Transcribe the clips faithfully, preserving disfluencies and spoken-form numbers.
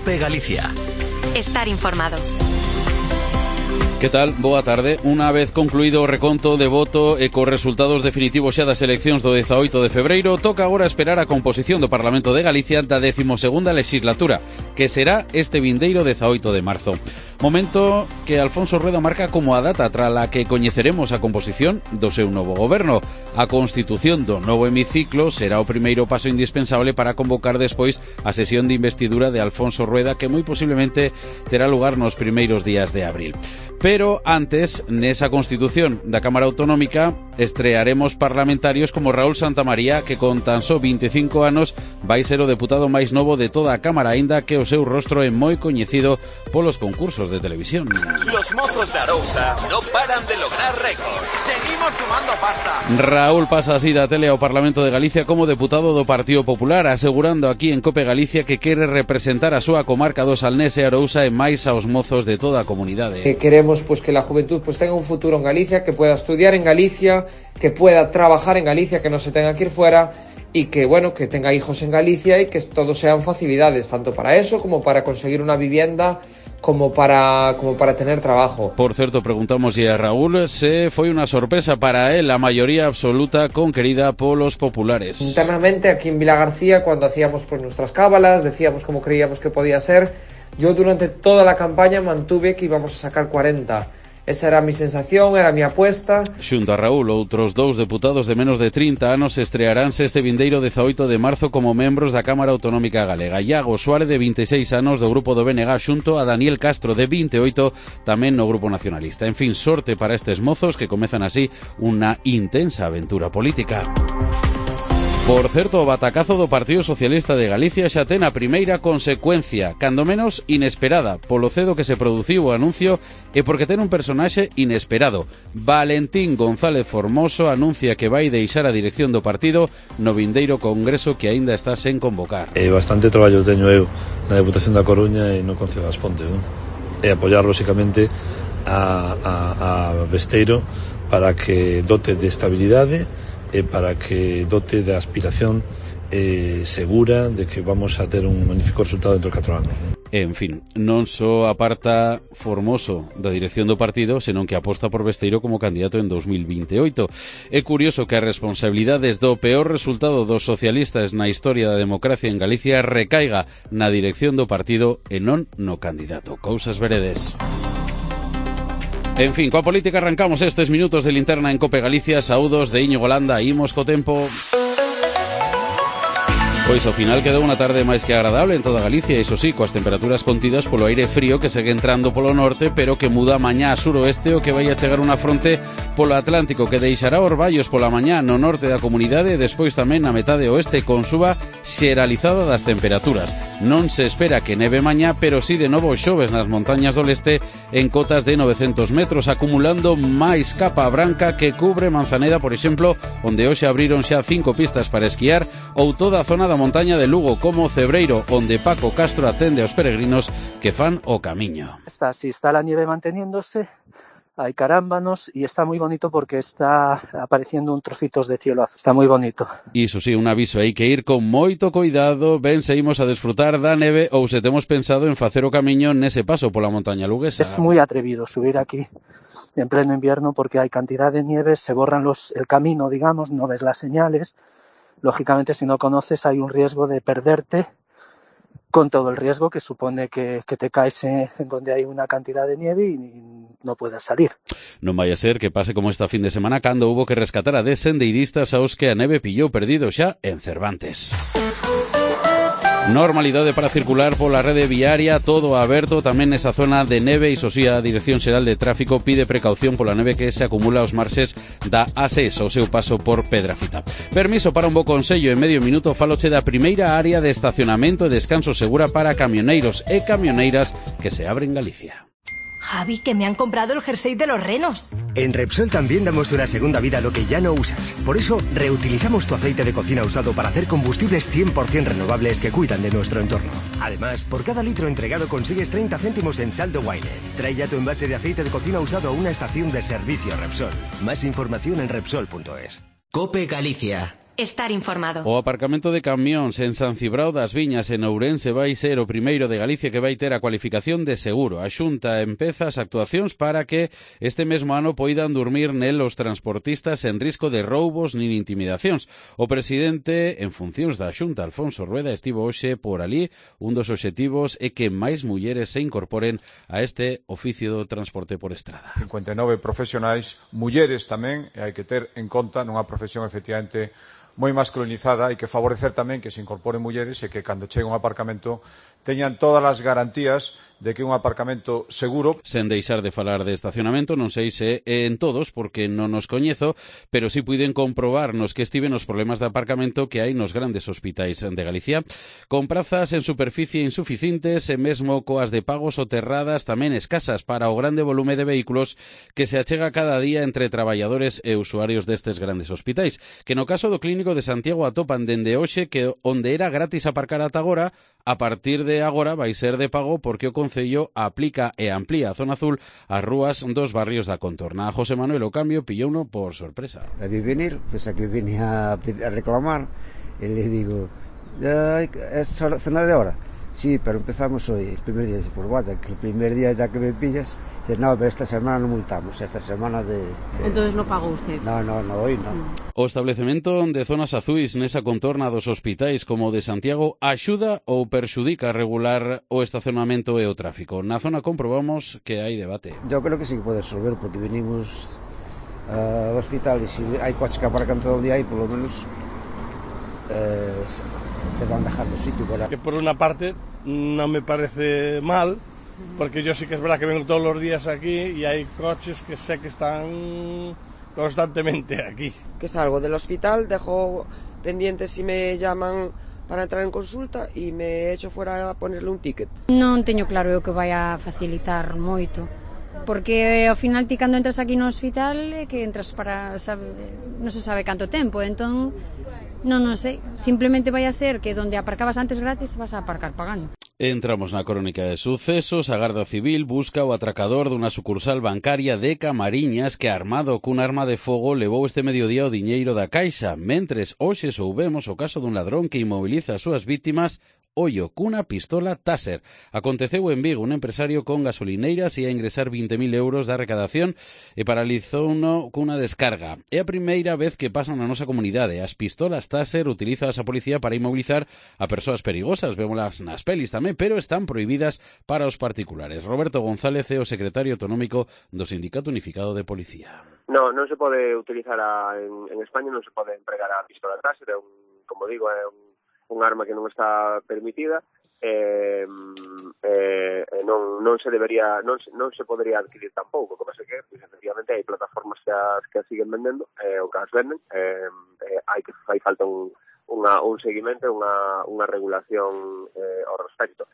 COPE Galicia. Estar informado. Que tal? Boa tarde. Unha vez concluído o reconto de voto e cos resultados definitivos xa das eleccións do dezaoito de febreiro, toca agora esperar a composición do Parlamento de Galicia da decimosegunda legislatura, que será este vindeiro dezaoito de marzo. Momento que Alfonso Rueda marca como a data trala que coñeceremos a composición do seu novo goberno. A constitución do novo hemiciclo será o primeiro paso indispensable para convocar despois a sesión de investidura de Alfonso Rueda, que moi posiblemente terá lugar nos primeiros días de abril. Pero antes, nesa constitución da Cámara Autonómica, estrearemos parlamentarios como Raúl Santamaría, que con tan só veinticinco anos vai ser o deputado máis novo de toda a Cámara, aínda que o seu rostro é moi coñecido polos concursos de televisión. Los mozos de Arousa no paran de lograr récords. Seguimos sumando pasta. Raúl pasa así da tele ao Parlamento de Galicia como deputado do Partido Popular, asegurando aquí en COPE Galicia que quere representar a súa comarca do Salnés e Arousa e máis aos mozos de toda a comunidade. Que queremos pues que la juventud pues tenga un futuro en Galicia, que pueda estudiar en Galicia, que pueda trabajar en Galicia, que no se tenga que ir fuera y que bueno, que tenga hijos en Galicia y que todos sean facilidades, tanto para eso como para conseguir una vivienda, como para como para tener trabajo. Por certo, preguntamos a Raúl se foi unha sorpresa para él a maioría absoluta conquerida polos populares. Internamente aquí en Vilagarcía, cuando hacíamos pues nuestras cábalas, decíamos cómo creíamos que podía ser. Yo durante toda la campaña mantuve que íbamos a sacar cuarenta. Esa era mi sensación, era mi apuesta. Xunto a Raúl, outros dous deputados de menos de trinta anos estrearánse este vindeiro dezaoito de marzo como membros da Cámara Autonómica Galega. Iago Suárez, de vinte e seis anos, do grupo do B N G, xunto a Daniel Castro, de vinte e oito, tamén no grupo nacionalista. En fin, sorte para estes mozos que comezan así unha intensa aventura política. Por certo, o batacazo do Partido Socialista de Galicia xa ten a primeira consecuencia, cando menos inesperada, polo cedo que se produciu o anuncio e porque ten un personaxe inesperado. Valentín González Formoso anuncia que vai deixar a dirección do partido no vindeiro congreso que aínda está sen convocar. E bastante traballo teño eu na Deputación da Coruña e no Concello das Pontes, non? E apoiar, lóxicamente, a, a, a Besteiro para que dote de estabilidade e para que dote de aspiración eh, segura de que vamos a ter un magnífico resultado dentro de catro anos. En fin, non só aparta Formoso da dirección do partido, senón que aposta por Besteiro como candidato en dos mil veintioito. É curioso que as responsabilidades do peor resultado dos socialistas na historia da democracia en Galicia recaiga na dirección do partido e non no candidato. Cousas veredes. En fin, coa política arrancamos estes minutos de linterna en COPE Galicia. Saúdos de Íñigo Landa, imos co tempo. Pois ao final quedou unha tarde máis que agradable en toda Galicia, iso sí, coas temperaturas contidas polo aire frío que segue entrando polo norte, pero que muda mañá a suroeste o que vai a chegar unha fronte polo Atlántico que deixará orballos pola mañá no norte da comunidade e despois tamén na metade oeste con suba xeralizada das temperaturas. Non se espera que neve mañá, pero sí de novo xoves nas montañas do leste en cotas de novecentos metros, acumulando máis capa branca que cubre Manzaneda, por exemplo, onde hoxe abriron xa cinco pistas para esquiar, ou toda a zona da montaña de Lugo, como Cebreiro, onde Paco Castro atende aos peregrinos que fan o camiño. Está así, está la nieve manteniéndose, hay carámbanos y está muy bonito porque está apareciendo un trocitos de cielo azul, está muy bonito. Iso sí, un aviso, hai que ir con moito cuidado, ben se imos a desfrutar da neve ou se temos pensado en facer o camiño nese paso pola montaña luguesa. Es muy atrevido subir aquí en pleno invierno porque hay cantidad de nieve, se borran los el camino, digamos, no ves las señales. Lógicamente, si no conoces, hay un riesgo de perderte, con todo el riesgo que supone que, que te caes en donde hay una cantidad de nieve y no puedas salir. Non vai a ser que pase como esta fin de semana cando hubo que rescatar a dez sendeiristas aos que a neve pillou perdido xa en Cervantes. Normalidade para circular pola rede viaria, todo aberto tamén nesa zona de neve. Iso si, a Dirección Xeral de Tráfico pide precaución pola neve que se acumula aos marxes da A seis ao seu paso por Pedrafita. Permiso para un bo consello, en medio minuto faloche da primeira área de estacionamento e descanso segura para camioneiros e camioneiras que se abre en Galicia. Javi, que me han comprado el jersey de los renos. En Repsol también damos una segunda vida a lo que ya no usas. Por eso, reutilizamos tu aceite de cocina usado para hacer combustibles cien por ciento renovables que cuidan de nuestro entorno. Además, por cada litro entregado consigues treinta céntimos en saldo Wynet. Trae ya tu envase de aceite de cocina usado a una estación de servicio Repsol. Más información en Repsol punto es. COPE Galicia. Estar informado. O aparcamento de camións en San Cibrao das Viñas, en Ourense, vai ser o primeiro de Galicia que vai ter a cualificación de seguro. A Xunta empeza as actuacións para que este mesmo ano poidan dormir nel os transportistas en risco de roubos nin intimidacións. O presidente en funcións da Xunta, Alfonso Rueda, estivo hoxe por ali. Un dos obxectivos é que máis mulleres se incorporen a este oficio do transporte por estrada. cincuenta e nove profesionais, mulleres tamén, e hai que ter en conta nunha profesión efectivamente moi masculinizada, hai que favorecer tamén que se incorporen mulleres e que cando chegue un aparcamento teñan todas as garantías de que un aparcamento seguro. Sen deixar de falar de estacionamento, non sei se en todos, porque non nos coñezo, pero si puiden comprobar nos que estiven os problemas de aparcamento que hai nos grandes hospitais de Galicia, con prazas en superficie insuficientes e mesmo coas de pago soterradas tamén escasas para o grande volume de vehículos que se achega cada día entre traballadores e usuarios destes grandes hospitais, que no caso do Clínico de Santiago atopan dende hoxe que onde era gratis aparcar ata agora, a partir de agora vai ser de pago porque o Concello aplica e amplía a zona azul as rúas dos barrios da contorna. A José Manuel o cambio pillouno por sorpresa. A vi venir, pues aquí vine a, a reclamar e le digo, ¿es zona de hora? Sí, pero empezamos hoy, el primer día. Dice, pues vaya, que el primer día ya que me pillas, dice, no, pero esta semana no multamos, esta semana de... de... Entonces no pagó usted. No, no, no, hoy no. O establecemento de zonas azuis nesa contorna dos hospitais como de Santiago axuda ou perxudica a regular o estacionamento e o tráfico? Na zona comprobamos que hai debate. Yo creo que sí que pode resolver, porque vinimos uh, ao hospital e se hai coches que aparcan todo o día aí, por lo menos... Eh, te van dejando sitio para... Que por una parte no me parece mal, porque yo sí que es verdad que vengo todos los días aquí y hay coches que sé que están constantemente aquí. Que salgo del hospital, dejo pendiente si me llaman para entrar en consulta e me echo fuera a ponerle un ticket. Non teño claro eu que vai a facilitar moito, porque ao final ti cando entras aquí no hospital é que entras para, sabe, non se sabe canto tempo, entón non, non sei, simplemente vai a ser que donde aparcabas antes gratis vas a aparcar pagando. Entramos na crónica de sucesos. A Garda Civil busca o atracador dunha sucursal bancaria de Camariñas que, armado cun arma de fogo, levou este mediodía o diñeiro da caixa, mentres hoxe soubemos o caso dun ladrón que inmoviliza as súas vítimas ollo cunha pistola Taser. Aconteceu en Vigo, un empresario con gasolineiras ia ingresar vinte mil euros da recadación e paralizouno cunha descarga. É a primeira vez que pasan na nosa comunidade. As pistolas Taser utilízaas a policía para inmovilizar a persoas perigosas, vémolas nas pelis tamén, pero están prohibidas para os particulares. Roberto González é o secretario autonómico do Sindicato Unificado de Policía. No, non se pode utilizar a, en, en España non se pode empregar a pistola Taser, é un, como digo, é un un arma que non está permitida e, eh, eh, non, non se debería non, non se podría adquirir tampouco, como se que pues, efectivamente hai plataformas que as, que as siguen vendendo eh, ou que as venden eh, eh, hai que hai falta un, unha, un seguimento, unha, unha regulación eh, ao respecto.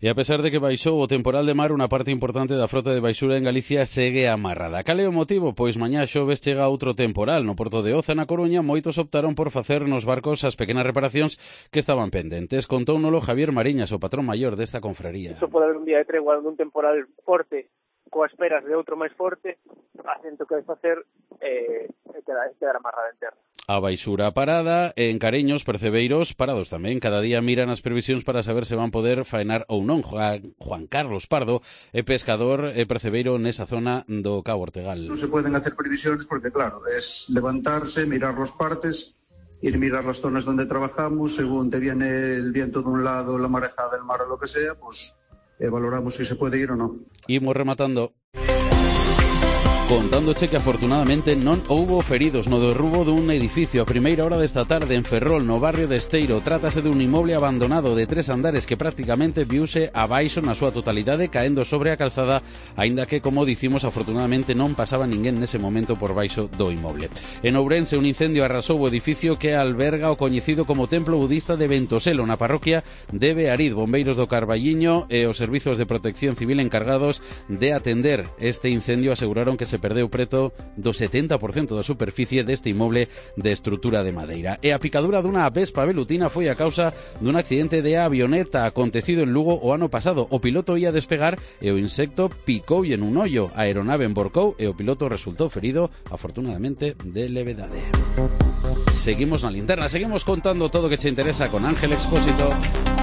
E a pesar de que baixou o temporal de mar, unha parte importante da frota de baixura en Galicia segue amarrada. Cal é o motivo? Pois mañá xoves chega outro temporal. No porto de Oza, na Coruña, moitos optaron por facer nos barcos as pequenas reparacións que estaban pendentes. Contóunolo Javier Mariñas, o patrón maior desta confraría. Isto pode haber un día de tregua dun temporal forte coas esperas de outro máis forte, acento que vai facer eh, quedar, quedar amarrada en terra. A baixura parada, en Careños, percebeiros parados tamén. Cada día miran as previsións para saber se van poder faenar ou non. Juan, Juan Carlos Pardo é pescador e percebeiro nesa zona do Cabo Ortegal. Non se poden hacer previsións porque, claro, es levantarse, mirar los partes, ir mirar las zonas donde trabajamos, según te viene el viento de un lado, la marejada del mar o lo que sea, pues eh, valoramos si se puede ir o no. Imos rematando. Contándoche que afortunadamente non houbo feridos no derrubo dun edificio a primeira hora desta tarde en Ferrol, no barrio de Esteiro. Trátase dun inmoble abandonado de tres andares que prácticamente viuse abaixo na súa totalidade, caendo sobre a calzada, aínda que, como dicimos, afortunadamente non pasaba ninguén nese momento por baixo do inmoble. En Ourense, un incendio arrasou o edificio que alberga o coñecido como Templo Budista de Ventoselo, na parroquia de Beariz. Bombeiros do Carballiño e os servizos de protección civil encargados de atender este incendio aseguraron que se perdeu preto do setenta por cento da superficie deste inmoble de estrutura de madeira. E a picadura dunha vespa velutina foi a causa dun accidente de avioneta acontecido en Lugo o ano pasado. O piloto ia despegar e o insecto picoulle nun ollo. A aeronave emborcou e o piloto resultou ferido, afortunadamente de levedade. Seguimos na linterna, seguimos contando todo o que che interesa con Ángel Expósito.